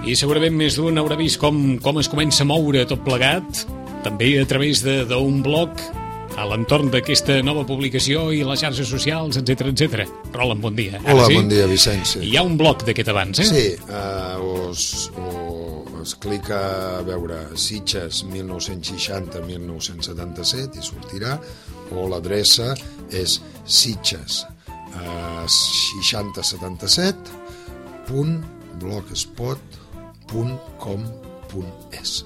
I segurament més d'un haurà vist com es comença a moure tot plegat, també a través d'un blog, a l'entorn d'aquesta nova publicació i les xarxes socials, etc. Roland, bon dia. Hola, bon dia, Vicenç. Hi ha un blog d'aquest abans, eh? Sí, es clica a veure Sitges 1960-1977 i sortirà, o l'adreça és Sitges 6077.blogspot.com.es.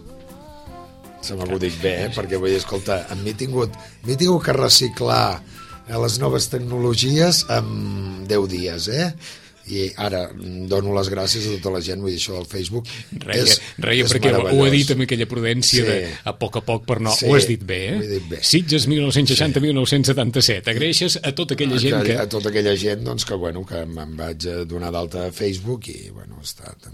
Se m'ha acudit bé, perquè vull dir, escolta, m'he tingut que reciclar les noves tecnologies en 10 dies, i ara dono les gràcies a tota la gent, vull dir, això del Facebook és perquè meravellós. ho he dit amb aquella prudència de a poc, per no, ho has dit bé, ho he dit bé. Sitges 1960-1977, agraeixes a tota aquella gent que... A tota aquella gent, doncs, que me'n vaig donar d'alta a Facebook i, ha estat...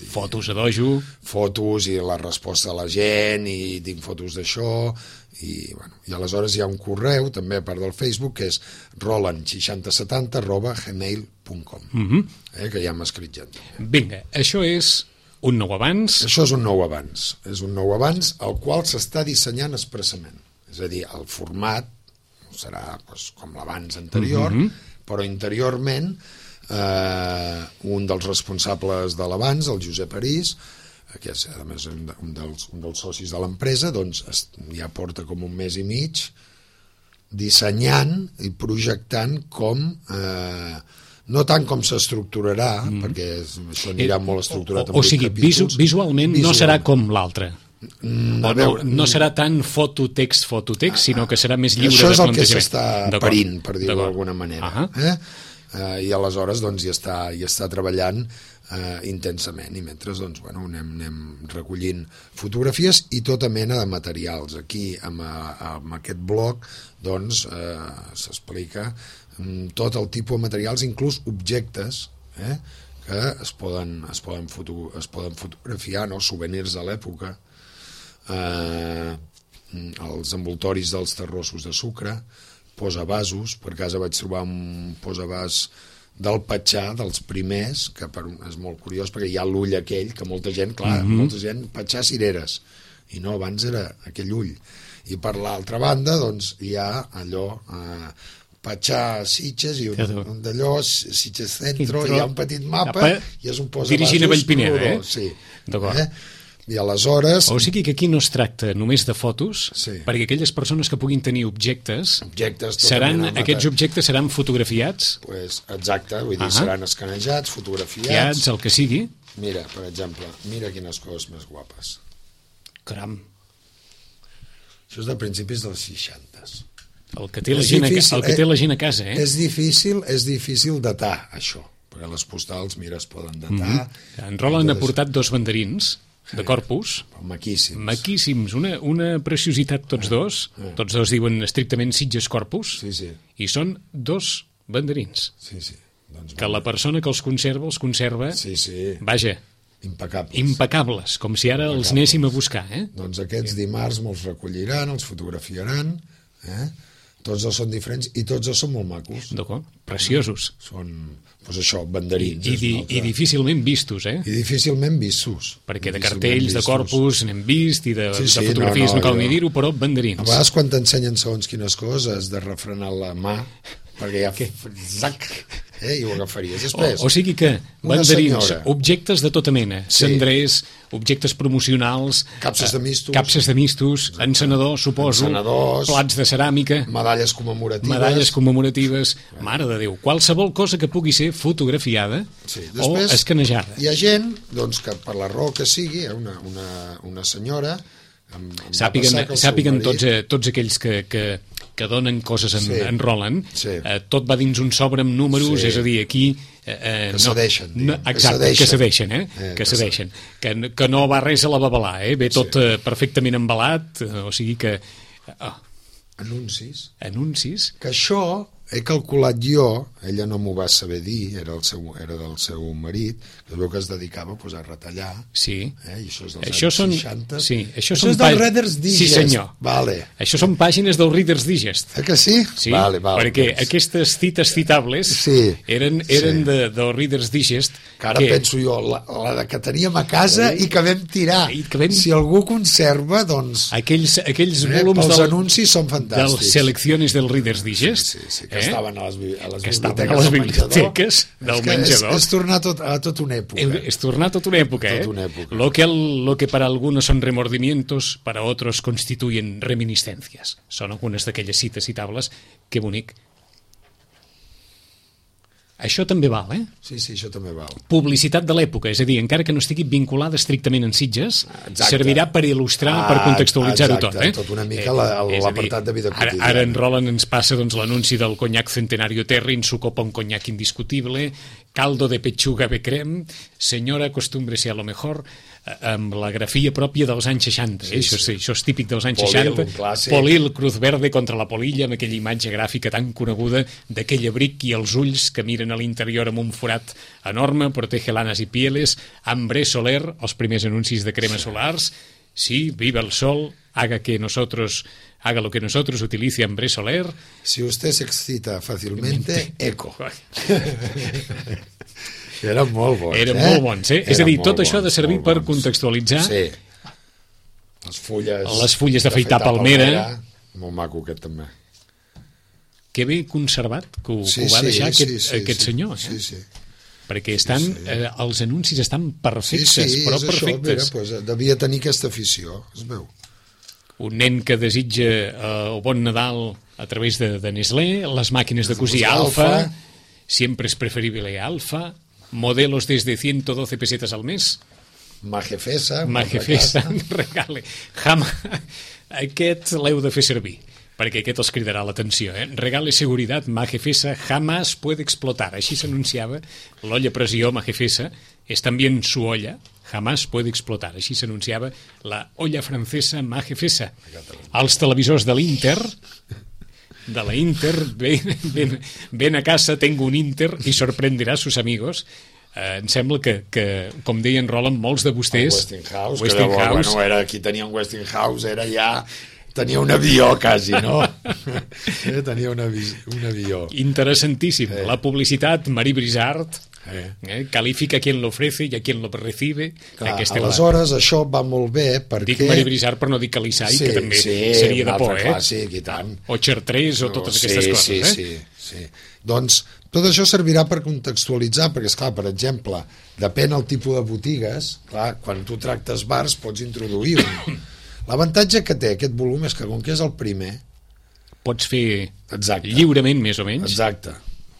Fotos a dojo. Fotos i la resposta de la gent, i tinc fotos d'això, i aleshores hi ha un correu, també a part del Facebook, que és roland6070@gmail.com, que ja m'ha escrit gent. Vinga, això és un nou abans? Això és un nou abans. És un nou abans el qual s'està dissenyant expressament. És a dir, el format serà com l'abans anterior, però interiorment un dels responsables de l'abans, el Josep Arís, que és a més un dels socis de l'empresa, doncs ja porta com un mes i mig dissenyant i projectant com no tant com s'estructurarà, perquè això anirà molt estructurat en 8 capítols. Visualment no serà com l'altre. No serà tant fototext, sinó que serà més lliure de plantejament. Això és el que s'està parint, per dir-ho d'alguna manera. I aleshores hi està treballant intensament, i mentre anem recollint fotografies i tota mena de materials. Aquí amb aquest blog s'explica tot el tipus de materials, inclús objectes que es poden fotografiar, souvenirs de l'època, els envoltoris dels terrossos de sucre, posavasos. Per casa vaig trobar un posavàs del Patxà, dels primers, que és molt curiós perquè hi ha l'ull aquell que molta gent, Patxà cireres, i no, abans era aquell ull. I per l'altra banda hi ha allò Patxà Sitges i un d'allò Sitges Centro, i hi ha un petit mapa i és un posavasos dirigint a Vallpineda, sí, d'acord. I aleshores... O sigui que aquí no es tracta només de fotos, perquè aquelles persones que puguin tenir objectes aquests objectes seran fotografiats? Exacte, vull dir, seran escanejats, fotografiats... el que sigui. Mira, per exemple, mira quines coses més guapes. Caram. Això és de principis dels 60s. El que té la gent a casa, És difícil datar, això, perquè les postals, mira, es poden datar... En Roland ha portat 2 banderins de Corpus, maquíssims, una preciositat tots dos diuen estrictament Sitges Corpus, i són 2 banderins que la persona que els conserva vaja, impecables, com si ara els anéssim a buscar. Doncs aquests dimarts me'ls recolliran, els fotografiaran, tots dos són diferents i tots dos són molt macos. D'acord, preciosos. Són, això, banderins. I difícilment vistos, I difícilment vistos. Perquè de cartells, de Corpus n'hem vist, i de fotografies no cal ni dir-ho, però banderins. A vegades quan t'ensenyen segons quines coses has de refrenar la mà, perquè ja... i ho agafaries després. O sigui que banderins, objectes de tota mena, cendrers, objectes promocionals, capses de mistos, encenedors, suposo, plats de ceràmica, medalles commemoratives, mare de Déu, qualsevol cosa que pugui ser fotografiada o escanejada. Hi ha gent que per la raó que sigui, una senyora, sàpiguen tots aquells que donen coses en Roland, tot va dins un sobre amb números, és a dir, aquí... Que cedeixen. Exacte, que cedeixen. Que no va res a la babalà, ve tot perfectament embalat, o sigui que... Anuncis. Anuncis. Que això he calculat jo, ella no m'ho va saber dir, era del seu marit, que es veu que es dedicava a retallar. Sí. I això és dels anys 60. Sí, això és del Reader's Digest. Sí, senyor. Vale. Això són pàgines del Reader's Digest. Que sí? Sí, vale, perquè aquestes cites citables eren del Reader's Digest. Que ara penso jo, la que teníem a casa i que vam tirar. Si algú conserva, doncs... Aquells volums pels anuncis són fantàstics. Dels selecciones del Reader's Digest. Sí, que estaven a les biblioteques del menjador. És tornar a tota una època. Es tornar a tota una època, Lo que para algunos son remordimientos, para otros constituyen reminiscencias. Són algunes d'aquelles cites citables. Que bonic. Això també val, Sí, això també val. Publicitat de l'època, és a dir, encara que no estigui vinculada estrictament en Sitges, servirà per il·lustrar, per contextualitzar-ho tot. Tot una mica l'apartat de vida quotidiana. Ara en Roland ens passa l'anunci del conyac Centenario Terry, en su copa un conyac indiscutible, caldo de pechuga de crem, senyora, acostúmbrese a lo mejor, amb la grafia pròpia dels anys 60. Això és típic dels anys 60. Polil, Cruz Verde contra la polilla, amb aquella imatge gràfica tan coneguda d'aquell abric i els ulls que miren a l'interior amb un forat enorme, protege lanas i pieles, Ambré Soler, els primers anuncis de cremes solars, sí, viva el sol, haga lo que nosotros utilice Ambré Soler. Si usted se excita fàcilmente, eco. Eren molt bons. Molt bons, És a dir, tot això ha de servir per contextualitzar. Sí. Les fulles d'afaitar palmera. Molt maco, aquest també. Que bé conservat que ho va deixar aquest senyor. Sí. Perquè els anuncis estan perfectes, però perfectes. Mira, devia tenir aquesta afició, es veu. Un nen que desitja el bon Nadal a través de Nestlé, les màquines de cosir Alfa, siempre es preferible Alfa, modelos desde 112 pesetas al mes. Majefesa, regale. Aquest l'heu de fer servir, perquè aquest els cridarà l'atenció. Regale seguridad, Majefesa jamás puede explotar. Així s'anunciava l'olla a pressió Majefesa, és també su olla, jamás puede explotar. Així s'anunciava la olla francesa Majefesa. Els televisors de l'Inter... de la Inter, ven a casa, tengo un Inter y sorprenderá a sus amigos. Em sembla que, com deien Roland, molts de vostès... Westinghouse. Era qui tenia un Westinghouse, era ja... Tenia un avió, quasi, no? Tenia un avió. Interessantíssim. La publicitat, Marie Brizard, califica a quien lo ofrece i a quien lo recibe. Aleshores, això va molt bé perquè... Dic Marie Brizard per no dir Calisai, que també seria de por, clàssic, i tant. O Chartres, o totes aquestes coses, Sí. Doncs tot això servirà per contextualitzar, perquè, esclar, per exemple, depèn del tipus de botigues, clar, quan tu tractes bars pots introduir un... L'avantatge que té aquest volum és que, com que és el primer... Pots fer lliurement, més o menys. Exacte.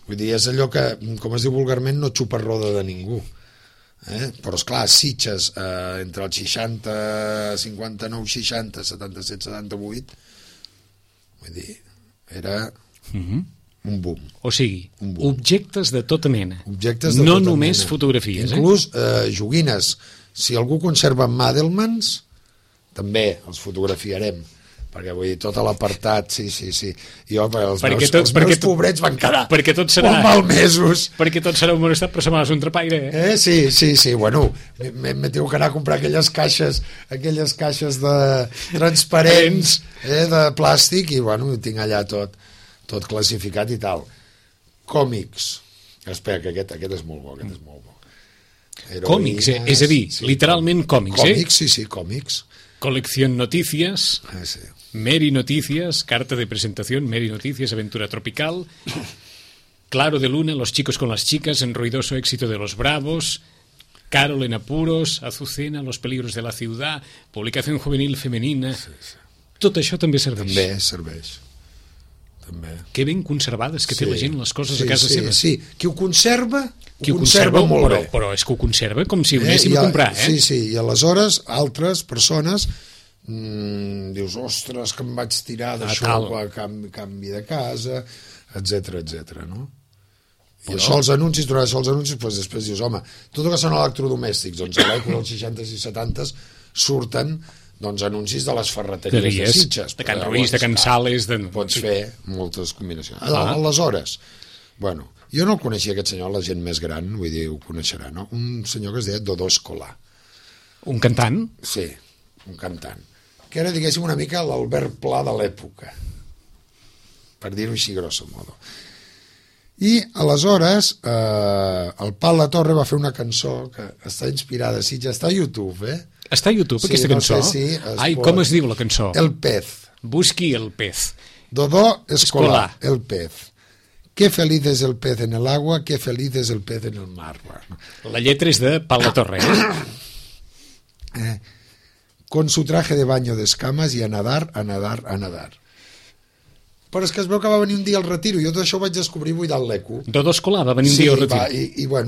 Vull dir, és allò que, com es diu vulgarment, no xupa roda de ningú. Però, esclar, Sitges, entre els 60, 59, 60, 77, 78, vull dir, era un boom. O sigui, objectes de tota mena. No només fotografies. Inclús joguines. Si algú conserva Madelmans, també els fotografiarem, perquè vull dir, tot l'apartat, sí. Jo, els meus pobrets van quedar molt malmesos. Perquè tot serà un bon estat, però se m'ha un trapaire, Sí, bueno, m'he tingut que anar a comprar aquelles caixes de transparents, de plàstic, i bueno, ho tinc allà tot classificat i tal. Còmics. Espera, que aquest és molt bo, Còmics, és a dir, literalment còmics, Còmics, sí, còmics. Colección Noticias, Mary Noticias, carta de presentación, Mary Noticias, Aventura Tropical, Claro de Luna, Los chicos con las chicas, en ruidoso éxito de los Bravos, Carol en apuros, Azucena, Los peligros de la ciudad, publicación juvenil femenina... Tot això també serveix. També serveix. Que ben conservades que té la gent les coses a casa seva. Sí, qui ho conserva molt bé. Però és que ho conserva com si ho anéssim a comprar, Sí, i aleshores altres persones dius, ostres, que em vaig tirar d'això a canvi de casa, etc, no? I això els anuncis, doncs després dius, home, tot el que són electrodomèstics, doncs a l'època dels 60s i 70s surten doncs anuncis de les ferreteries de Sitges. De Can Ruiz, de Can Sales... Pots fer moltes combinacions. Aleshores, bueno, jo no el coneixia aquest senyor, la gent més gran, vull dir, ho coneixerà, no? Un senyor que es deia Dodó Escolà. Un cantant? Sí, un cantant. Que era, diguéssim, una mica l'Albert Pla de l'època, per dir-ho així grosso modo. I aleshores el Pal La Torre va fer una cançó que està inspirada a Sitges, està a YouTube, Està a YouTube, aquesta cançó? No sé si Ai, com es diu la cançó? El Pez. Busqui el pez. Dodó Escolà, el pez. Qué feliz es el pez en el agua, qué feliz es el pez en el mar. La lletra és de Pal La Torre, Con su traje de baño de escamas y a nadar, a nadar, a nadar. Però és que es veu que va venir un dia al retiro, jo tot això ho vaig descobrir buidant l'eco. Dodó Escolà va venir un dia al retiro.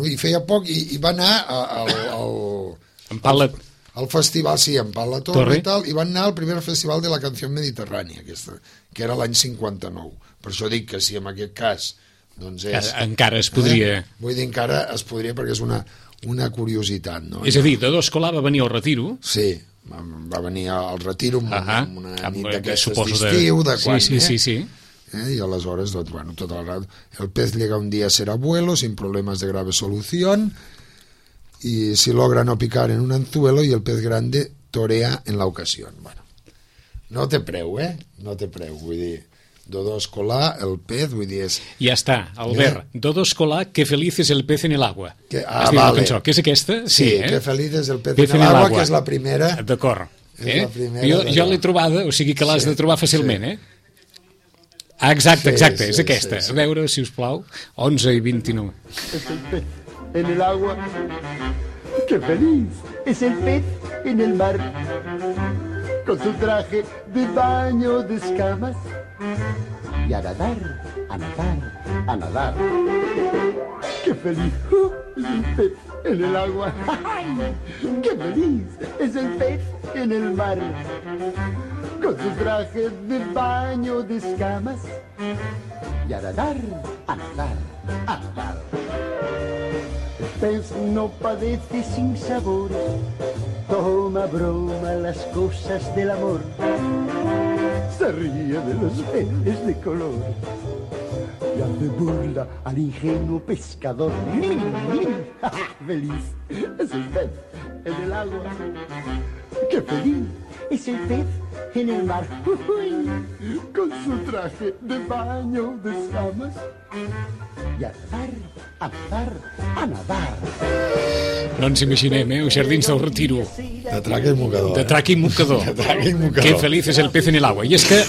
I feia poc i va anar al festival, sí, en Pal La Torre i tal, i van anar al primer festival de la Canció Mediterrània, aquesta, que era l'any 59. Per això dic que si en aquest cas doncs és... Encara es podria... Vull dir, encara es podria perquè és una curiositat, no? És a dir, Dodó Escolà va venir al retiro... Sí, va venir al retiro amb una nit d'aquestes d'estiu, de quan... Sí. Y aleshores, doncs, bueno, tot el rato. El pez llega un día a ser abuelo sin problemas de grave solución y si logra no picar en un anzuelo y el pez grande torea en la ocasión. Bueno, no té preu, no té preu, vull dir, Dodó Escolà, el pez, vull dir, és... Ja està, Albert, Dodó Escolà, que feliz es el pez en el agua. Vale. Cançó, que és aquesta? Sí, que feliz es el pez en el agua, que és la primera. D'acord. Jo l'he trobada, o sigui que l'has de trobar fàcilment, Exacte, és aquesta. A veure, si us plau, 11 i 29. Es el pez en el agua, que feliz es el pez en el mar, con su traje de baño de escamas, y a nadar, a nadar, a nadar. ¡Qué feliz es el pez en el agua! ¡Ay! ¡Qué feliz es el pez en el mar! Con su traje de baño de escamas, y a nadar, a nadar, a nadar. El pez no padece sin sabores, toma broma las cosas del amor, se ríe de los peces de color y hace burla al ingenuo pescador. Feliz es el pez en el agua, ¡qué feliz es el pez en el mar! Con su traje de baño de escamas, i a nadar, a nadar, a nadar. No ens imaginem, els jardins del Retiro. De traca i mocador. De traca i mocador. De traca i mocador. Que feliz és el pez en el agua. I és que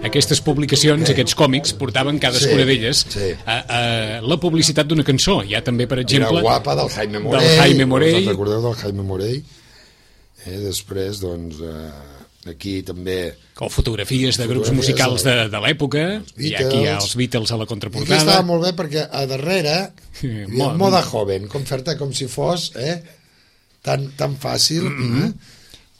aquestes publicacions, aquests còmics, portaven cadascuna d'elles la publicitat d'una cançó. Hi ha també, per exemple... Era guapa del Jaime Morell. Us recordeu del Jaime Morell? Després, doncs... aquí també... O fotografies de grups musicals de l'època, i aquí hi ha els Beatles a la contraportada. I aquí estava molt bé perquè a darrere moda joven, com fer-te com si fos tan fàcil.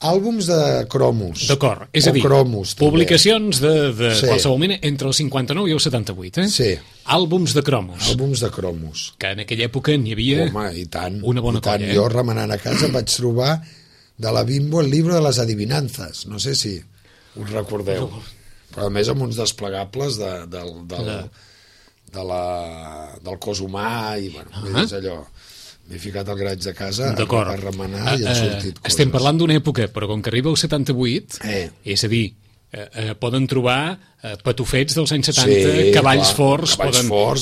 Àlbums de cromos. D'acord, és a dir, cromos, publicacions de qualsevol mena entre el 59 i el 78, Sí. Àlbums de cromos. Àlbums de cromos. Que en aquella època n'hi havia una bona colla. Jo remenant a casa vaig trobar de la Bimbo el libro de les adivinances, no sé si us recordeu, però a més amb uns desplegables del cos humà i bueno, és allò, m'he ficat al graig de casa a remenar i han sortit coses. Estem parlant d'una època, però com que arriba el 78, és a dir, poden trobar patufets dels anys 70, cavalls forts,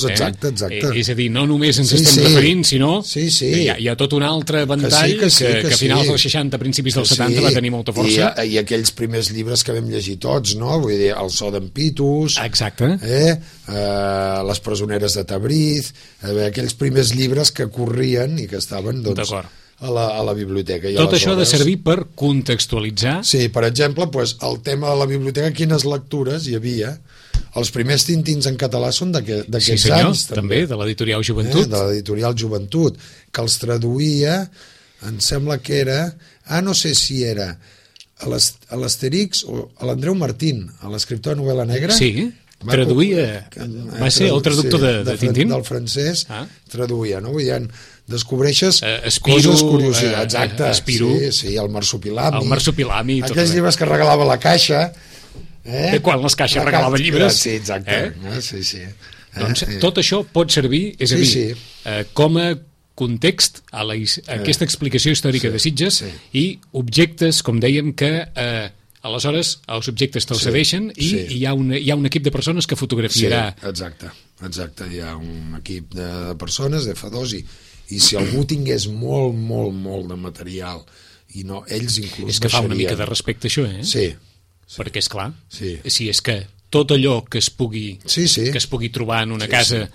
exacte. És a dir, no només ens estem referint, sinó hi ha tot un altre ventall que a finals dels 60, principis dels 70 va tenir molta força. I aquells primers llibres que vam llegir tots, no? Vull dir, El so d'en Pitus, exacte. Les presoneres de Tabriz, aquells primers llibres que corrien i que estaven, doncs... a la biblioteca. Tot això ha de servir per contextualitzar... Sí, per exemple, el tema de la biblioteca, quines lectures hi havia. Els primers Tintins en català són d'aquests anys. També, de l'editorial Joventut. De l'editorial Joventut, que els traduïa, em sembla que era... no sé si era a l'Asterix o a l'Andreu Martín, a l'escriptor de novel·la negra, traduïa, va ser el traductor de Tintín? Del francès, traduïa, no? Vull dir, descobreixes coses curiositats. Exacte, sí, el marsupilami. El marsupilami. Aquells llibres que regalava la Caixa. Quan les caixes regalaven llibres. Sí, exacte. Sí. Doncs tot això pot servir, és a dir, com a context a aquesta explicació històrica de Sitges i objectes, com dèiem, que aleshores els objectes te'ls cedeixen i hi ha un equip de persones que fotografiarà. Exacte. Hi ha un equip de persones, de F2, i si algú tingués molt de material i no, ells inclús és que fa una mica de respecte això, Sí. Perquè, és clar, si és que tot allò que es pugui trobar en una casa...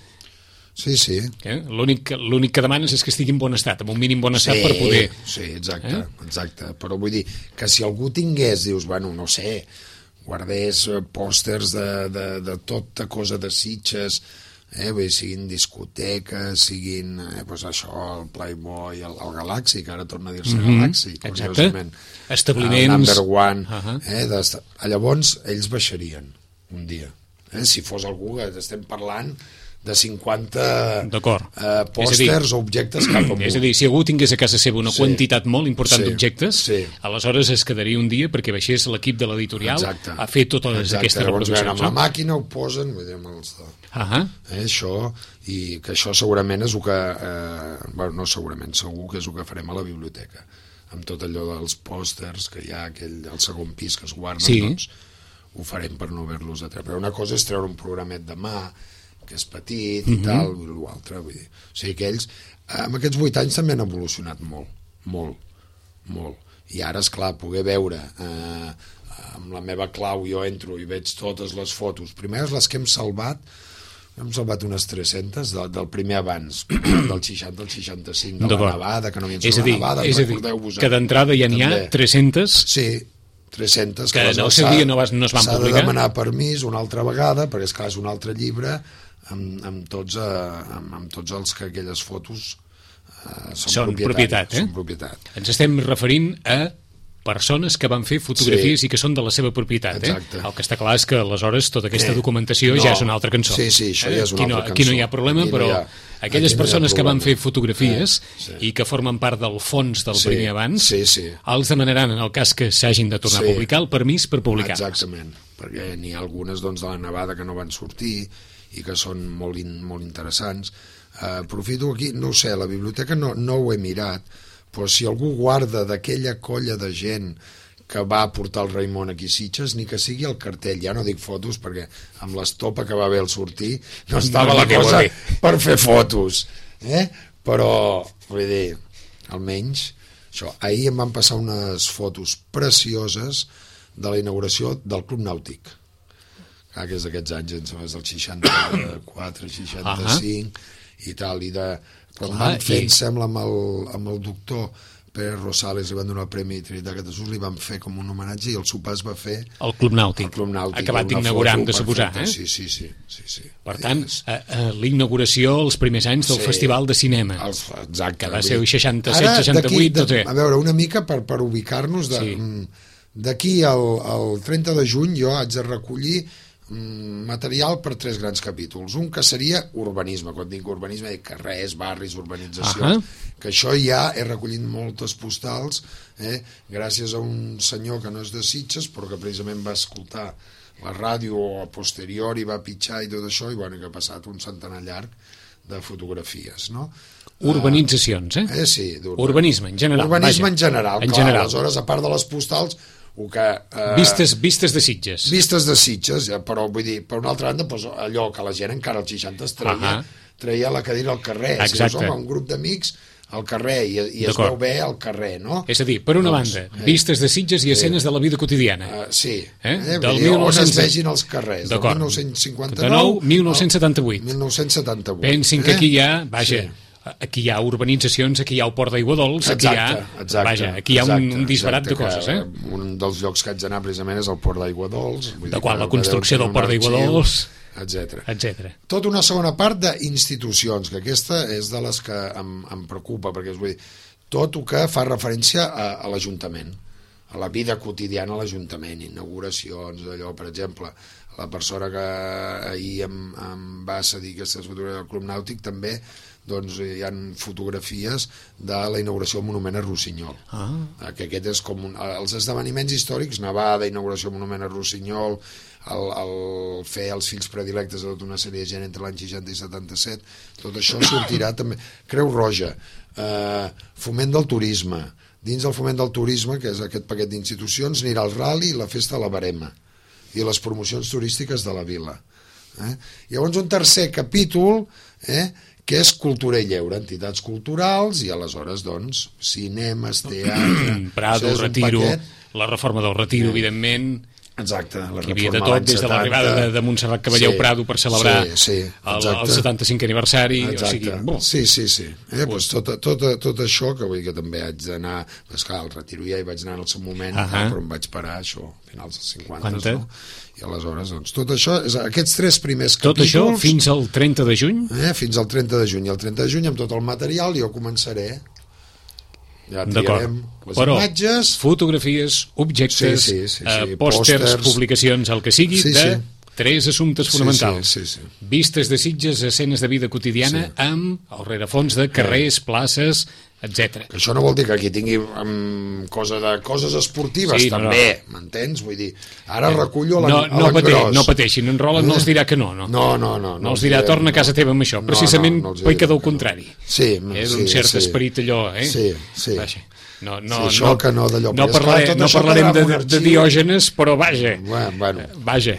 Sí. L'únic que demanes és que estigui en bon estat, amb un mínim bon estat per poder... Sí, exacte. Però vull dir que si algú tingués, dius, bueno, no sé, guardés pòsters de tota cosa de Sitges, siguin discoteques, siguin això, el Playboy, el Galaxy, que ara torna a dir-se Galaxy, curiosament. Establiments. El Number One. Llavors, ells baixarien un dia. Si fos algú que estem parlant de 50 pòsters o objectes cap amunt. És a dir, si algú tingués a casa seva una quantitat molt important d'objectes, aleshores es quedaria un dia perquè baixés l'equip de l'editorial a fer totes aquestes reproduccions. Amb la màquina ho posen, això, i que això segurament és el que... no segurament, segur que és el que farem a la biblioteca, amb tot allò dels pòsters que hi ha al segon pis que es guarden, doncs ho farem per no haver-los de treure. Però una cosa és treure un programet de mà que és petit i tal, l'altre, vull dir. O sigui que ells, amb aquests 8 anys també han evolucionat molt. I ara, esclar, poder veure amb la meva clau, jo entro i veig totes les fotos, primeres les que hem salvat unes 300 del primer abans, del 60 al 65, de la nevada, que no havien sigut la nevada, recordeu-vos. Que d'entrada ja n'hi ha 300? Sí, 300 que no es van publicar. S'ha de demanar permís una altra vegada, perquè és clar, és un altre llibre amb tots els que aquelles fotos són propietat. Són propietat. Ens estem referint a persones que van fer fotografies i que són de la seva propietat. El que està clar és que aleshores tota aquesta documentació ja és una altra cançó. Sí, això ja és una altra cançó. Aquí no hi ha problema, però aquelles persones que van fer fotografies i que formen part del fons del primer abans, els demanaran, en el cas que s'hagin de tornar a publicar, el permís per publicar-les. Exactament, perquè n'hi ha algunes de la nevada que no van sortir i que són molt interessants. Aprofito aquí, no ho sé, la biblioteca no ho he mirat, però si algú guarda d'aquella colla de gent que va portar el Raimon aquí a Sitges, ni que sigui el cartell, ja no dic fotos perquè amb l'estopa que va haver al sortir no estava la cosa per fer fotos, però vull dir, almenys això. Ahir em van passar unes fotos precioses de la inauguració del Club Nàutic, que és d'aquests anys, és del 64, 65 i tal, i de quan van fer, em sembla, amb el doctor Pere Rosales, li van donar el Premi Trinitat de Jesús, li van fer com un homenatge i el sopar es va fer el Club Nàutic, acabat d'inaugurar, hem de suposar. Sí. Per tant, l'inauguració els primers anys del Festival de Cinema, exacte, que va ser el 67-68. A veure, una mica per ubicar-nos, d'aquí al 30 de juny jo haig de recollir material per 3 grans capítols. Un que seria urbanisme, quan dic urbanisme dic carrers, barris, urbanitzacions, que això ja he recollit moltes postals gràcies a un senyor que no és de Sitges però que precisament va escoltar la ràdio a posteriori, va pitjar i tot això, i bueno, que ha passat un centenar llarg de fotografies, no? Urbanitzacions, Sí, urbanisme en general. Urbanisme en general, clar, aleshores, a part de les postals, vistes de Sitges. Vistes de Sitges, però vull dir, per una altra banda, allò que la gent encara als 60 es treia la cadira al carrer. Si dius, un grup d'amics al carrer i es veu bé al carrer, no? És a dir, per una banda, vistes de Sitges i escenes de la vida quotidiana. Sí, on es vegin els carrers, del 1959 1978. 1978. Pensin que aquí hi ha, aquí hi ha urbanitzacions, aquí hi ha el Port d'Aiguadols, aquí hi ha un disbarat de coses. Un dels llocs que haig d'anar precisament és el Port d'Aiguadols, de quan la construcció del Port d'Aiguadols, etc. Tota una segona part d'institucions, que aquesta és de les que em preocupa, perquè vull dir, tot el que fa referència a l'Ajuntament. a la vida quotidiana a l'Ajuntament, inauguracions, allò, per exemple, la persona que ahir em va cedir aquestes fotografies del Club Nàutic, també doncs hi ha fotografies de la inauguració del monument a Rossinyol, que aquest és com els esdeveniments històrics, nevada, inauguració del monument a Rossinyol, el fer els fills predilectes de tota una sèrie de gent entre l'any 60 i 77, tot això sortirà també. Creu Roja, foment del turisme, dins del foment del turisme, que és aquest paquet d'institucions, anirà el Rally i la Festa de la Verema i les promocions turístiques de la vila. Llavors un tercer capítol, que és cultura i lleure, entitats culturals, i aleshores, doncs, cinemes, teatre... Prado, Retiro, la reforma del Retiro, evidentment... Exacte, la hi havia de tot, des de l'arribada de Montserrat Caballeu Prado per celebrar el 75è aniversari. Sí. Pues tot això, que vull dir que també haig d'anar... Esclar, al Retiro ja hi vaig anar en el seu moment, però em vaig parar, això, a finals dels 50, no? I aleshores, doncs, tot això, aquests 3 primers capítols... Tot això fins al 30 de juny? Fins al 30 de juny. I el 30 de juny, amb tot el material, jo començaré... Ja triarem les imatges... Fotografies, objectes, pòsters, publicacions, el que sigui, de 3 assumptes fonamentals. Vistes de Sitges, escenes de vida quotidiana amb el rerefons de carrers, places, etc. Això no vol dir que aquí tingui coses esportives, també, m'entens? Vull dir, ara recullo l'engròs. No pateixin, en Roland no els dirà que no. No els dirà, torna a casa teva amb això. Precisament peca del contrari. És un cert esperit allò, Sí. Això que no d'allò. No parlarem de Diògenes, però vaja.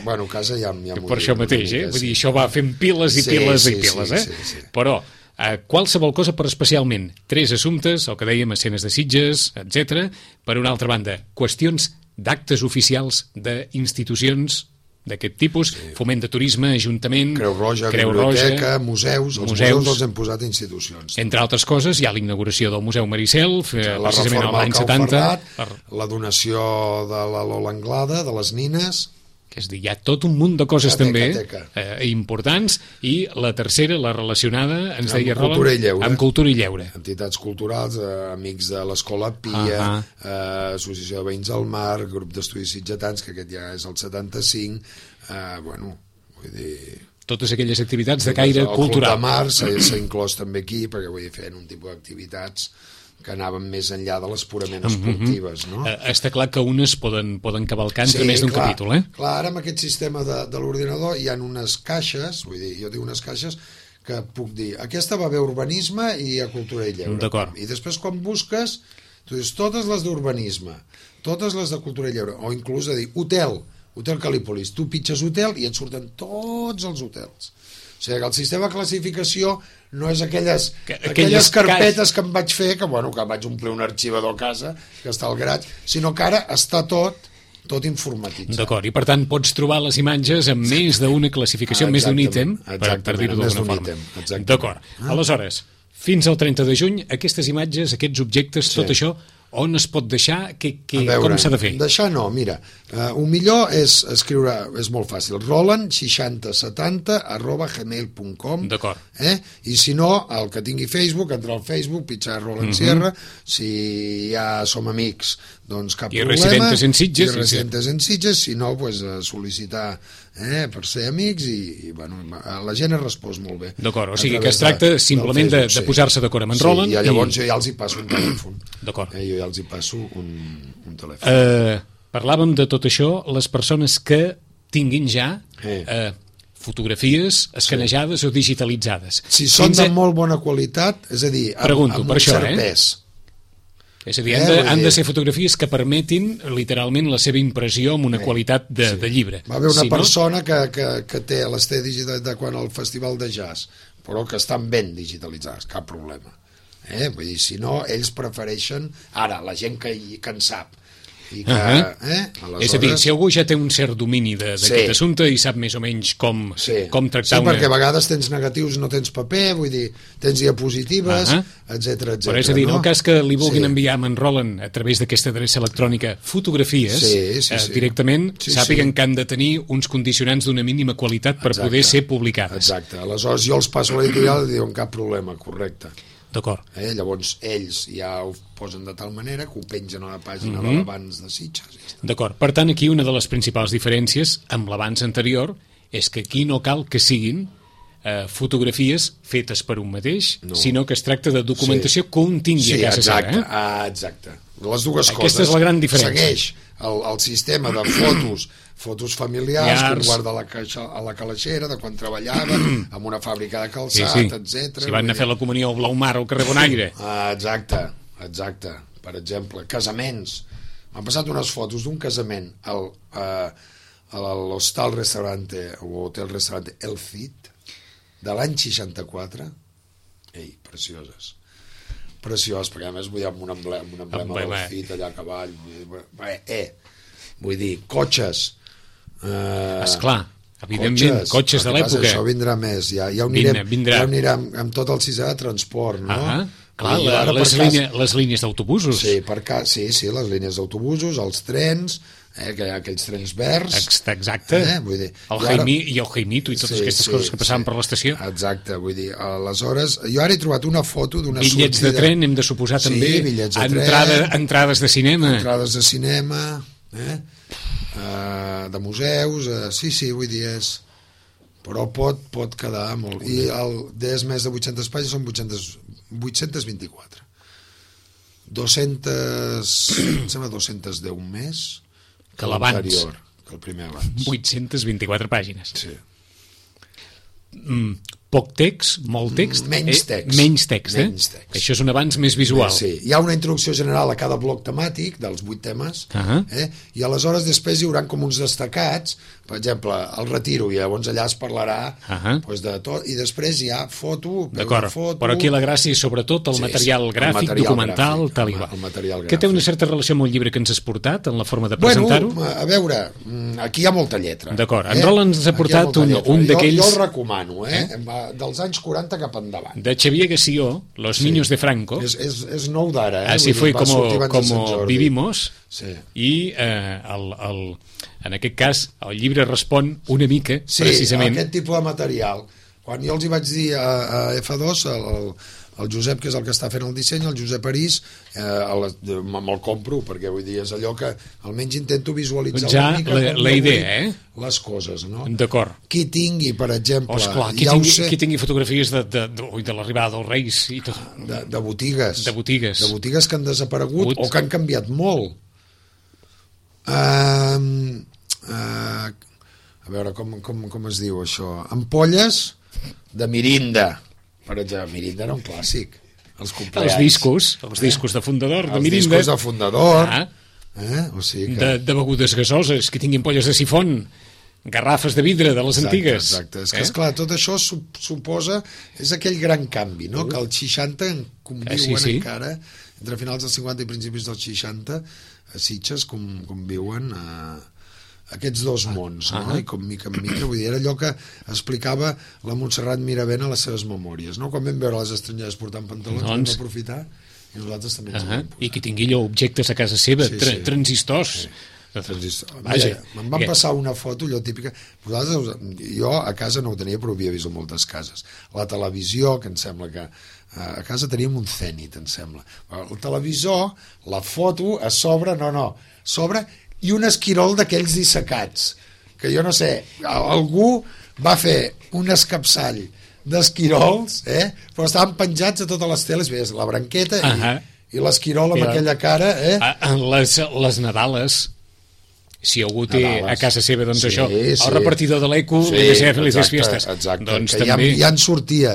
Bueno, casa ja m'ho diu. Per això mateix, vull dir, això va fent piles i piles i piles, Però qualsevol cosa, però especialment 3 assumptes, el que dèiem, escenes de Sitges, etc. Per una altra banda, qüestions d'actes oficials d'institucions d'aquest tipus, foment de turisme, ajuntament, Creu Roja, biblioteca, museus. Els museus els hem posat a institucions. Entre altres coses, hi ha la inauguració del Museu Maricel, precisament l'any 70. La donació de la Lola Anglada, de les nines... Que és dir, hi ha tot un munt de coses també importants, i la tercera, la relacionada, ens deia Roland, amb cultura i lleure. Entitats culturals, amics de l'Escola Pia, Associació de Veïns al Mar, Grup d'Estudis Sitgetans, que aquest ja és el 75, vull dir... Totes aquelles activitats de caire cultural. El Club de Mar s'ha inclòs també aquí, perquè vull dir, fent un tipus d'activitats que anaven més enllà de les purament esportives, no? Està clar que unes poden cavalcar entre més d'un capítol, Clar, ara amb aquest sistema de l'ordinador hi ha unes caixes, vull dir, jo dic unes caixes que puc dir, aquesta va bé a urbanisme i a cultura i lleure. D'acord. I després quan busques, tu dius totes les d'urbanisme, totes les de cultura i lleure, o inclús a dir, Hotel Calípolis, tu pitges hotel i et surten tots els hotels. O sigui que el sistema de classificació no és aquelles carpetes que em vaig fer, que vaig omplir un arxivador a casa, que està al garatge, sinó que ara està tot informatitzat. D'acord, i per tant pots trobar les imatges amb més d'una classificació, més d'un ítem, per dir-ho d'alguna forma. D'acord, aleshores, fins al 30 de juny, aquestes imatges, aquests objectes, tot això, on es pot deixar, com s'ha de fer? Deixar no, mira, el millor és escriure, és molt fàcil, roland6070@gmail.com. D'acord. I si no, el que tingui Facebook, entrar al Facebook, pitjar Roland Sierra, si ja som amics, doncs cap problema. I residentes en Sitges. I residentes en Sitges, si no, sol·licitar per ser amics, i la gent es respòs molt bé. D'acord, o sigui que es tracta simplement de posar-se d'acord amb en Roland. I llavors jo ja els hi passo un telèfon. D'acord. Jo ja els hi passo un telèfon. Parlàvem de tot això, les persones que tinguin ja fotografies escanejades o digitalitzades. Si són de molt bona qualitat, és a dir, amb un cert pes. És a dir, han de ser fotografies que permetin literalment la seva impressió amb una qualitat de llibre. Va haver una persona que les té digitalitzades quan al Festival de Jazz, però que estan ben digitalitzades, cap problema. Vull dir, si no, ells prefereixen ara, la gent que en sap, i que, és a dir, si algú ja té un cert domini d'aquest assumpte i sap més o menys com tractar una... perquè a vegades tens negatius, no tens paper, vull dir, tens diapositives, etc. Però és a dir, en el cas que li vulguin enviar a en Roland a través d'aquesta adreça electrònica fotografies, directament sàpiguen que han de tenir uns condicionants d'una mínima qualitat per poder ser publicades. Exacte, aleshores jo els passo a l'editorial i diuen cap problema, correcte. D'acord. Llavors ells ja ho posen de tal manera que ho pengen a la pàgina de l'abans de Sitges. D'acord. Per tant, aquí una de les principals diferències amb l'abans anterior és que aquí no cal que siguin fotografies fetes per un mateix, sinó que es tracta de documentació que un tingui a casa seva. Exacte. Les dues coses. Aquesta és la gran diferència. Segueix el sistema de fotos familiars que un guarda a la calaixera de quan treballava en una fàbrica de calçat, etc. Si van anar a fer la comunió al Blaumar o al carrer Bonaire. Exacte. Per exemple, casaments. M'han passat unes fotos d'un casament a l'Hostal Restaurante o Hotel Restaurante El Cid de l'any 64. Precioses, perquè a més vull dir amb un emblema del Cid allà a cavall. Vull dir, cotxes. Esclar, evidentment, cotxes de l'època. Això vindrà més, ja ho anirem amb tot el sisè de transport, no? Clar, les línies d'autobusos. Sí, les línies d'autobusos, els trens, que hi ha aquells trens verds. Exacte. Vull dir, el Jaimito i totes aquestes coses que passaven per l'estació. Exacte, vull dir, aleshores, jo ara he trobat una foto d'una sortida... Bitllets de tren, hem de suposar també. Bitllets de tren. Entrades de cinema. Entrades de cinema, de museus, vull dir, però pot quedar molt. I és més de 800 pàgines, són 824. 210 més que l'anterior, que el primer abans. 824 pàgines. Sí. Poc text, molt text? Menys text. Menys text. Això és un avanç més visual. Sí, hi ha una introducció general a cada bloc temàtic dels 8 temes, i aleshores després hi haurà com uns destacats, per exemple, el retiro, i llavors allà es parlarà de tot, i després hi ha foto. D'acord, però aquí la gràcia és sobretot el material gràfic, documental, tal i qual. Que té una certa relació amb el llibre que ens has portat, en la forma de presentar-ho? A veure, aquí hi ha molta lletra. D'acord, en Roland ens ha portat un d'aquells... Jo el recomano, dels anys 40 cap endavant. De Xavier Gassió, Los niños de Franco. És nou d'ara. Así fue como vivimos. I en aquest cas el llibre respon una mica, precisament... Sí, aquest tipus de material. Quan jo els hi vaig dir a F2, el Josep, que és el que està fent el disseny, el Josep París, me'l compro, perquè vull dir, és allò que almenys intento visualitzar una mica la idea, les coses, no? D'acord. Qui tingui, per exemple... Qui tingui fotografies de l'arribada dels Reis i tot. De botigues. De botigues que han desaparegut o que han canviat molt. A veure, com es diu això? Ampolles de Mirinda. Per exemple, Mirinda era un clàssic. Els discos de fundador de Mirinda. Els discos de fundador. O sigui que... de begudes gasoses, que tinguin polles de sifon, garrafes de vidre de les antigues. Exacte. És que, esclar, tot això suposa... És aquell gran canvi, no? Que els 60 conviuen encara, entre finals dels 50 i principis dels 60, a Sitges conviuen aquests dos mons, no? I com mica en mica, vull dir, era allò que explicava la Montserrat Miravent a les seves memòries, no? Quan vam veure les estrangeres portant pantalons, vam aprofitar i nosaltres també ens vam posar. I que tingui allò objectes a casa seva, transistors. Vaja, me'n van passar una foto, allò típica. Jo a casa no ho tenia, però ho havia vist en moltes cases. La televisió, que em sembla que a casa teníem un Zenit, em sembla. El televisor, la foto a sobre, sobre, i un esquirol d'aquells dissecats, que jo no sé, algú va fer un escapçall d'esquirols, però estaven penjats a totes les teles, veies la branqueta i l'esquirol amb aquella cara. Les Nadales, si algú té a casa seva, doncs això, el repartidor de l'Eco, felices fiestes. Doncs també... Ja en sortia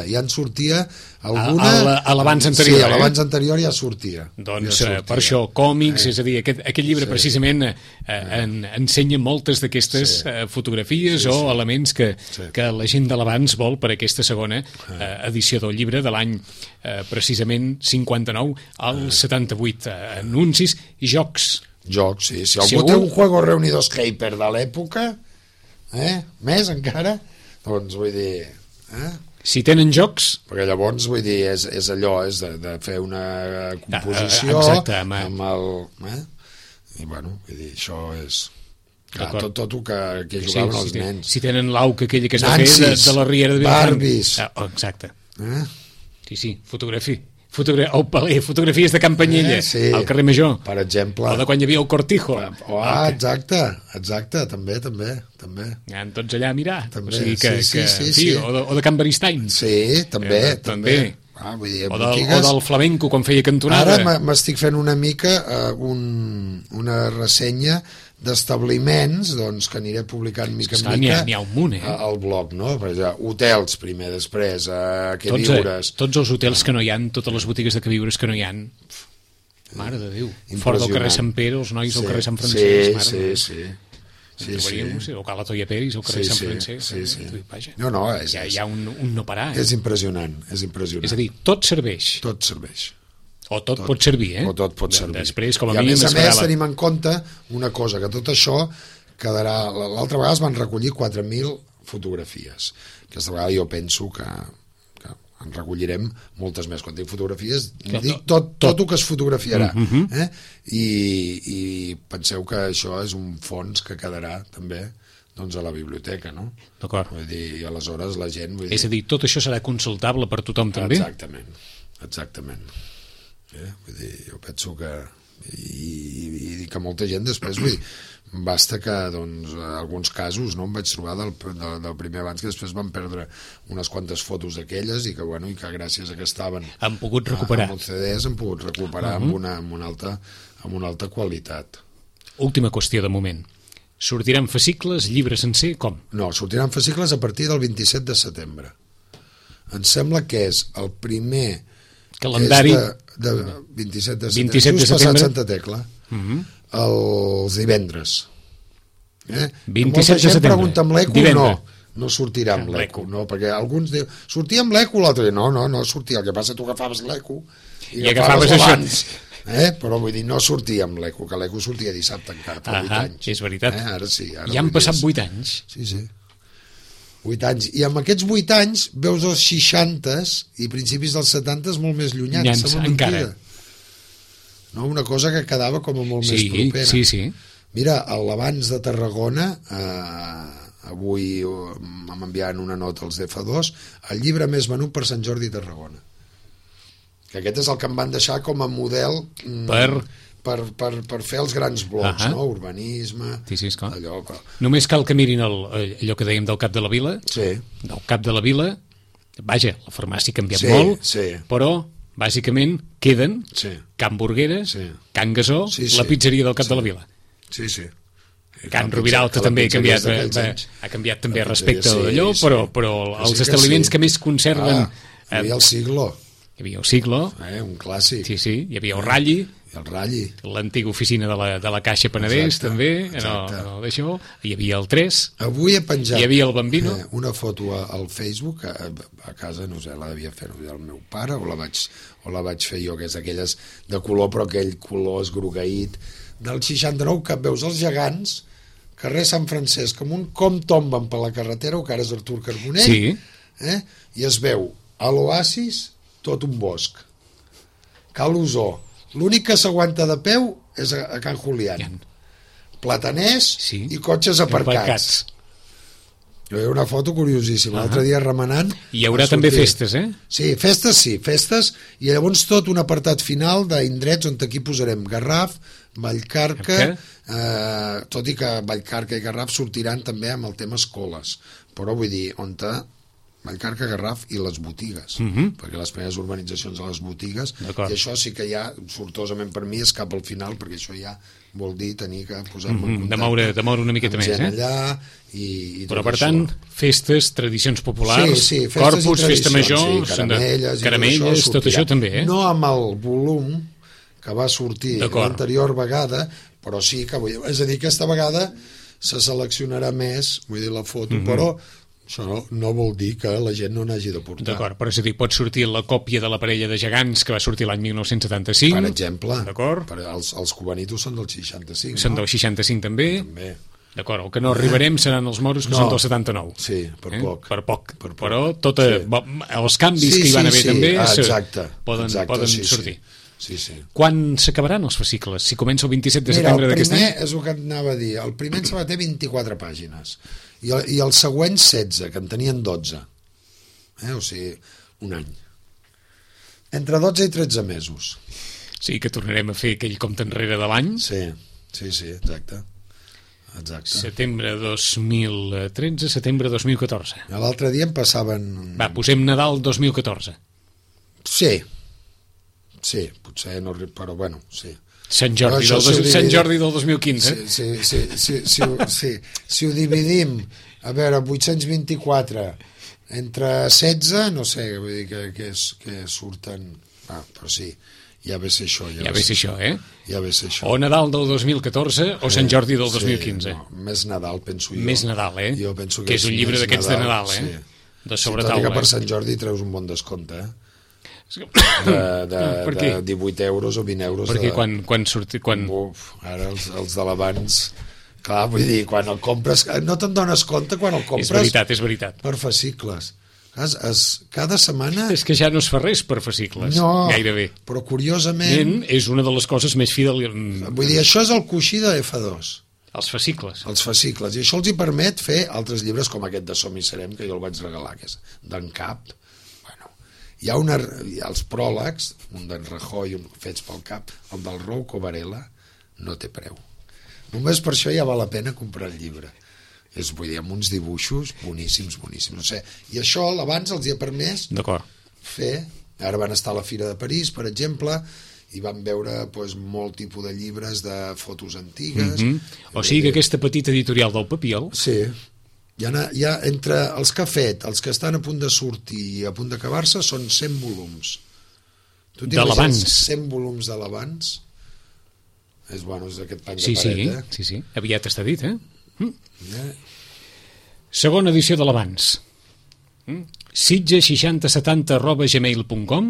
alguna... A l'abans anterior. Sí, a l'abans anterior ja sortia. Doncs per això, còmics, és a dir, aquest llibre precisament ensenya moltes d'aquestes fotografies o elements que la gent de l'abans vol per aquesta segona edició del llibre de l'any precisament 59 al 78. Anuncis i jocs. Jocs, sí. Si algú té un Juegos Reunidos Hyper de l'època, més encara, doncs vull dir... Si tenen jocs... Perquè llavors, vull dir, és allò, és de fer una composició amb el... I bueno, vull dir, això és... Tot el que jugaven els nens. Si tenen l'auca aquella que es va fer de la Riera de Vilafranca. Barbies. Exacte. Sí, el Paler, fotografies de Can Penyella, al carrer Major. Per exemple. O de quan hi havia el Cortijo. Exacte, també. Anem tots allà a mirar. També, o sigui sí. O de Can Beristain. Sí, també. Vull dir, o del flamenco quan feia cantonada. Ara m'estic fent una mica una ressenya d'establiments doncs, que aniré publicant mica en mica n'hi ha un munt, al blog, no? Per exemple, hotels primer, després queviures. Tots els hotels que no hi ha, totes les botigues de queviures que no hi ha, mare de Déu, fora del carrer Sant Pere, els nois del carrer Sant Francesc, o Cala Toia Peris o carrer Sant Francesc. No, hi ha un no parar. És impressionant. És a dir, tot serveix. O tot pot servir, O tot pot servir. Després, com I a més tenim en compte una cosa, que tot això quedarà... L'altra vegada es van recollir 4.000 fotografies. Aquesta vegada jo penso que en recollirem moltes més. Quan dic fotografies, dic tot el que es fotografiarà. I penseu que això és un fons que quedarà també doncs a la biblioteca, no? D'acord. Vull dir, i aleshores la gent... És a dir, tot això serà consultable per tothom també? Exactament. Vull dir, jo penso que i que molta gent després basta que doncs, alguns casos em vaig trobar del primer abans que després van perdre unes quantes fotos d'aquelles i que gràcies a que estaven han pogut recuperar amb CDs han pogut recuperar amb una alta qualitat. Última qüestió de moment, sortiran fascicles, llibre sencer, com? No, sortiran fascicles a partir del 27 de setembre. Em sembla que és el primer calendari de 27 de setembre, just passat Santa Tecla, els divendres. 27 de molta gent setembre. Pregunta amb l'ECO, no sortirà amb l'ECO, no, perquè alguns diuen, sortia amb l'ECO, l'altre no sortia, el que passa tu agafaves l'ECO i agafaves abans. Però vull dir, no sortia amb l'ECO, que l'ECO sortia dissabte encara, per 8 anys. És veritat. Ara sí. Ja han passat 8 anys. Sí. 8 anys, i amb aquests 8 anys veus els 60s i principis dels 70s molt més llunyans, encara. No? Una cosa que quedava com a molt més propera. Sí. Mira, l'Abans de Tarragona, avui m'enviaven una nota als DF2, el llibre més venut per Sant Jordi a Tarragona. Que aquest és el que em van deixar com a model per fer els grans blocs, no? Urbanisme, allò... Només cal que mirin allò que dèiem del Cap de la Vila. Del Cap de la Vila, vaja, la farmàcia ha canviat molt, però bàsicament queden Can Burguera, Can Gasó, la pizzeria del Cap de la Vila. Can Rubiralta també ha canviat també respecte a d'allò, però els establiments que més conserven... Hi havia el Siglo. Hi havia el Siglo. Un clàssic. Sí, hi havia el Ralli. El Ralli. L'antiga oficina de la Caixa Penedès, també. No, d'això. Hi havia el 3. Avui he penjat hi havia el Bambino. Una foto al Facebook, a casa, no sé, la devia fer el meu pare, o la vaig fer jo, que és aquelles de color, però aquell color esgrogueït, del 69, que veus els gegants, carrer Sant Francesc, com tomben per la carretera, o que ara és Artur Carbonell, i es veu a l'Oasis tot un bosc. Cal Usó. L'únic que s'aguanta de peu és a Can Julián. Plataners i cotxes aparcats. Hi ha una foto curiosíssima. L'altre dia remenant... Hi haurà també festes, Sí, festes, i llavors tot un apartat final d'indrets on aquí posarem Garraf, Vallcarca, tot i que Vallcarca i Garraf sortiran també amb el tema escoles, però vull dir, on Vallcarca, Garraf i les botigues, perquè les primeres urbanitzacions de les botigues, i això sí que ja, sortosament per mi, és cap al final, perquè això ja vol dir tenir que posar-me en contacte de moure una miqueta més, allà, però per tant, festes, tradicions populars, Corpus, Festa Major, caramelles, tot això també, no amb el volum que va sortir l'anterior vegada, però sí que, és a dir, aquesta vegada se seleccionarà més, vull dir, la foto, però això no vol dir que la gent no n'hagi de portar. D'acord, però és a dir, pot sortir la còpia de la parella de gegants que va sortir l'any 1975. Per exemple. D'acord. Els cubanitos són del 65, Són del 65 també. D'acord, el que no arribarem seran els moros que són del 79. Sí, per poc. Per poc. Però els canvis que hi van haver també poden sortir. Sí. Quan s'acabaran els fascicles? Si comença el 27 de setembre d'aquest any? El primer és el que anava a dir. El primer en té 24 pàgines. I el següent 16, que en tenien 12. O sigui, un any. Entre 12 i 13 mesos. Sí, que tornarem a fer aquell compte enrere de l'any. Sí, exacte. Setembre 2013, setembre 2014. L'altre dia em passaven... Va, posem Nadal 2014. Sí, potser no... Però bueno, sí. Sant Jordi del 2015. Si ho dividim, a veure, 824 entre 16, no sé, vull dir que surten... però sí, ja ve ser això. Ja ve ser això, eh? Ja ve ser això. O Nadal del 2014 o Sant Jordi del 2015. No, més Nadal, penso jo. Més Nadal, eh? Jo penso que és un llibre d'aquests de Nadal, eh? Sí. De sobretaula. Tot i que per Sant Jordi treus un bon descompte, de 18 euros o 20 euros. Perquè quan surti... Uf, ara els de l'abans... Clar, vull dir, quan el compres... No te'n dones compte quan el compres... És veritat. Per fascicles. Cada setmana... És que ja no es fa res per fascicles, gairebé. Però curiosament... És una de les coses més fidel... Vull dir, això és el coixí de F2. Els fascicles. Els fascicles. I això els hi permet fer altres llibres com aquest de Som i Serem, que jo el vaig regalar, que és d'en Cap. Bueno, hi ha els pròlegs, un d'en Rajoy, fets pel Cap, el del Rouco Varela, no té preu. Només per això ja val la pena comprar el llibre. Vull dir, amb uns dibuixos boníssims. No sé. I això, abans els hi ha permès fer... Ara van estar a la Fira de París, per exemple, i van veure molt tipus de llibres de fotos antigues. O sigui que aquesta petita editorial del Papiol... Sí. Hi ha entre els que ha fet, els que estan a punt de sortir i a punt d'acabar-se, són 100 volums. De l'abans. 100 volums de l'abans. És aquest pany de paret, eh? Sí. Aviat està dit, eh? Segona edició de l'abans. Sitges6070@gmail.com.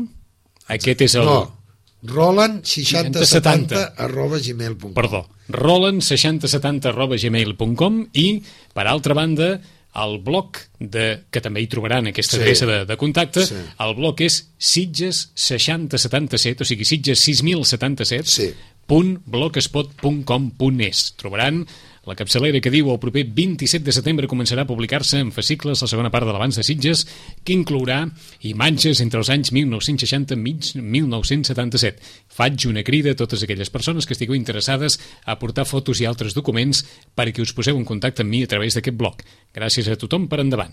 Aquest és el... No, Roland6070@gmail.com. Perdó, Roland6070@gmail.com. I, per altra banda, el blog, que també hi trobaran aquesta adreça de contacte, el blog és Sitges6077, o sigui, Sitges6077.blogspot.com.es. Trobaran la capçalera que diu el proper 27 de setembre començarà a publicar-se en fascicles la segona part de l'abans de Sitges, que inclourà imatges entre els anys 1960 i 1977. Faig una crida a totes aquelles persones que estigueu interessades a aportar fotos i altres documents perquè us poseu en contacte amb mi a través d'aquest blog. Gràcies a tothom per endavant.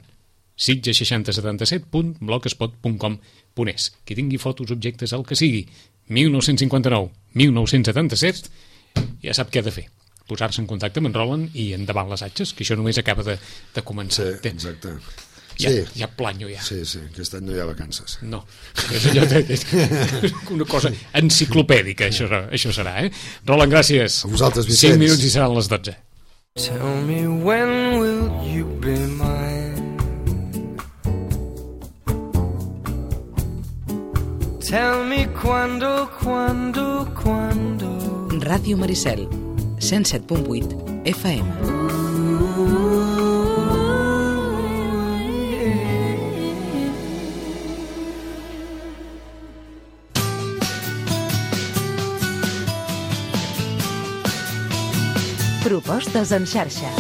Sitges6077.blogspot.com.es. Qui tingui fotos, objectes, el que sigui, 1959, 1977, ja sap què ha de fer. Posar-se en contacte amb en Roland i endavant les atxes, que això només acaba de començar. Sí, exacte. Ja planyo, ja. Sí, aquest any no hi ha vacances. No, és allò una cosa enciclopèdica, això serà, eh? Roland, gràcies. A vosaltres, Vicenç. 5 minuts i seran les 12. Tell me when will you be mine? Tell me cuando Ràdio Maricel 107.8 FM. Propostes en xarxa.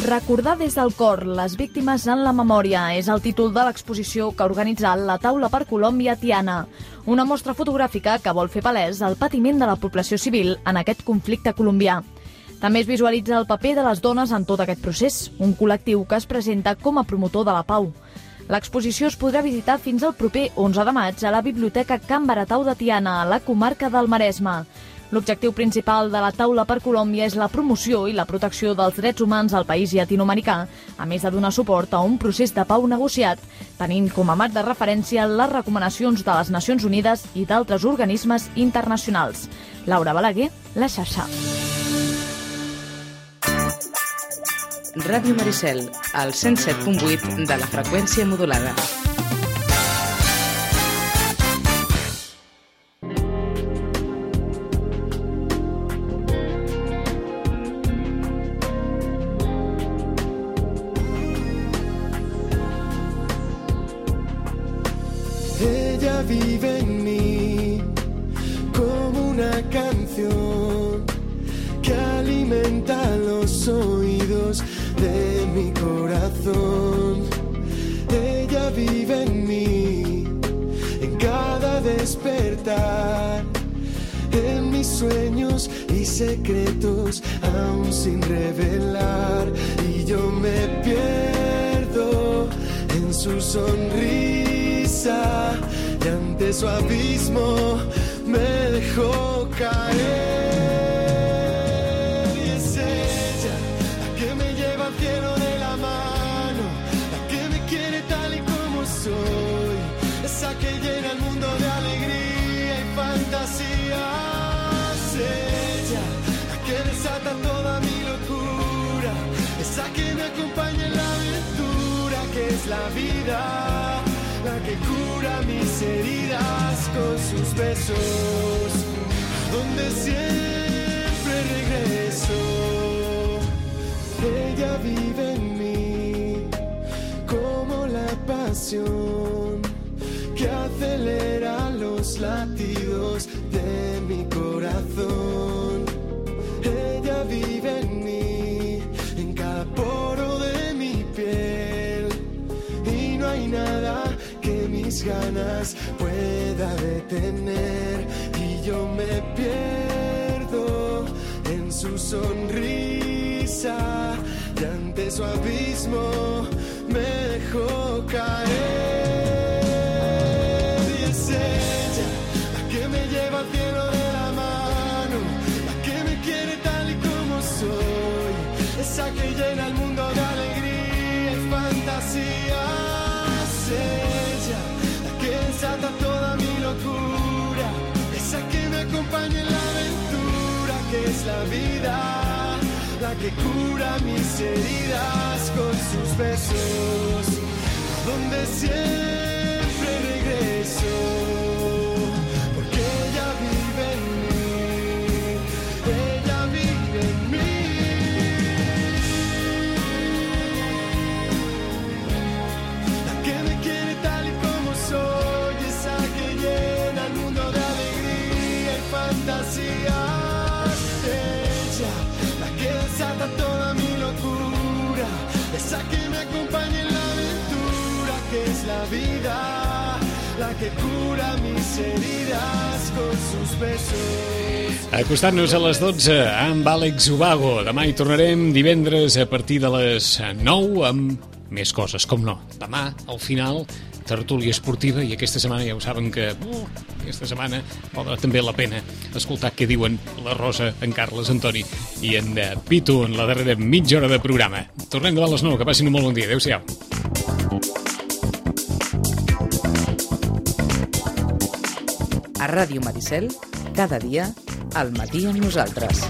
Recordar des del cor les víctimes en la memòria és el títol de l'exposició que ha organitzat la Taula per Colòmbia Tiana, una mostra fotogràfica que vol fer palès el patiment de la població civil en aquest conflicte colombià. També es visualitza el paper de les dones en tot aquest procés, un col·lectiu que es presenta com a promotor de la pau. L'exposició es podrà visitar fins al proper 11 de maig a la Biblioteca Can Baratau de Tiana, a la comarca del Maresme. L'objectiu principal de la Taula per Colòmbia és la promoció i la protecció dels drets humans al país llatinoamericà, a més de donar suport a un procés de pau negociat, tenint com a marc de referència les recomanacions de les Nacions Unides i d'altres organismes internacionals. Laura Balaguer, La Xarxa. Ràdio Maricel, al 107.8 de la freqüència modulada. Ella vive en mí como una canción que alimenta los oídos de mi corazón. Ella vive en mí, en cada contar en mis sueños y secretos aún sin revelar, y yo me pierdo en su sonrisa y ante su abismo me dejó caer. Y es ella la que me lleva al cielo de la mano, la que me quiere tal y como soy, esa que llena el mundo de alegría y fantasía. Ella, la que desata toda mi locura, esa que me acompaña en la aventura que es la vida, la que cura mis heridas con sus besos, donde siempre regreso. Ella vive en mí como la pasión que acelera los latidos de mi corazón. Ella vive en mí, en cada poro de mi piel, y no hay nada que mis ganas pueda detener. Y yo me pierdo en su sonrisa y ante su abismo me dejó caer. Al cielo de la mano, la que me quiere tal y como soy, esa que llena el mundo de alegría y fantasía. Ella, la que desata toda mi locura, esa que me acompaña en la aventura que es la vida, la que cura mis heridas con sus besos, donde siempre regreso. Toda mi locura, esa que me acompaña en la aventura que es la vida, la que cura mis heridas con sus besos. Acostant-nos a les 12 amb Àlex Ubago. Demà hi tornarem, divendres a partir de les 9 amb més coses, com no. Demà, al final, tertúlia esportiva, i aquesta setmana ja ho saben que aquesta setmana valdrà també la pena escoltar què diuen la Rosa, en Carles, Antoni i en Pitu en la darrera mitja hora de programa. Tornem demà a les 9, que passin un molt bon dia. Adéu-siau. A Ràdio Maricel, cada dia, al matí amb nosaltres.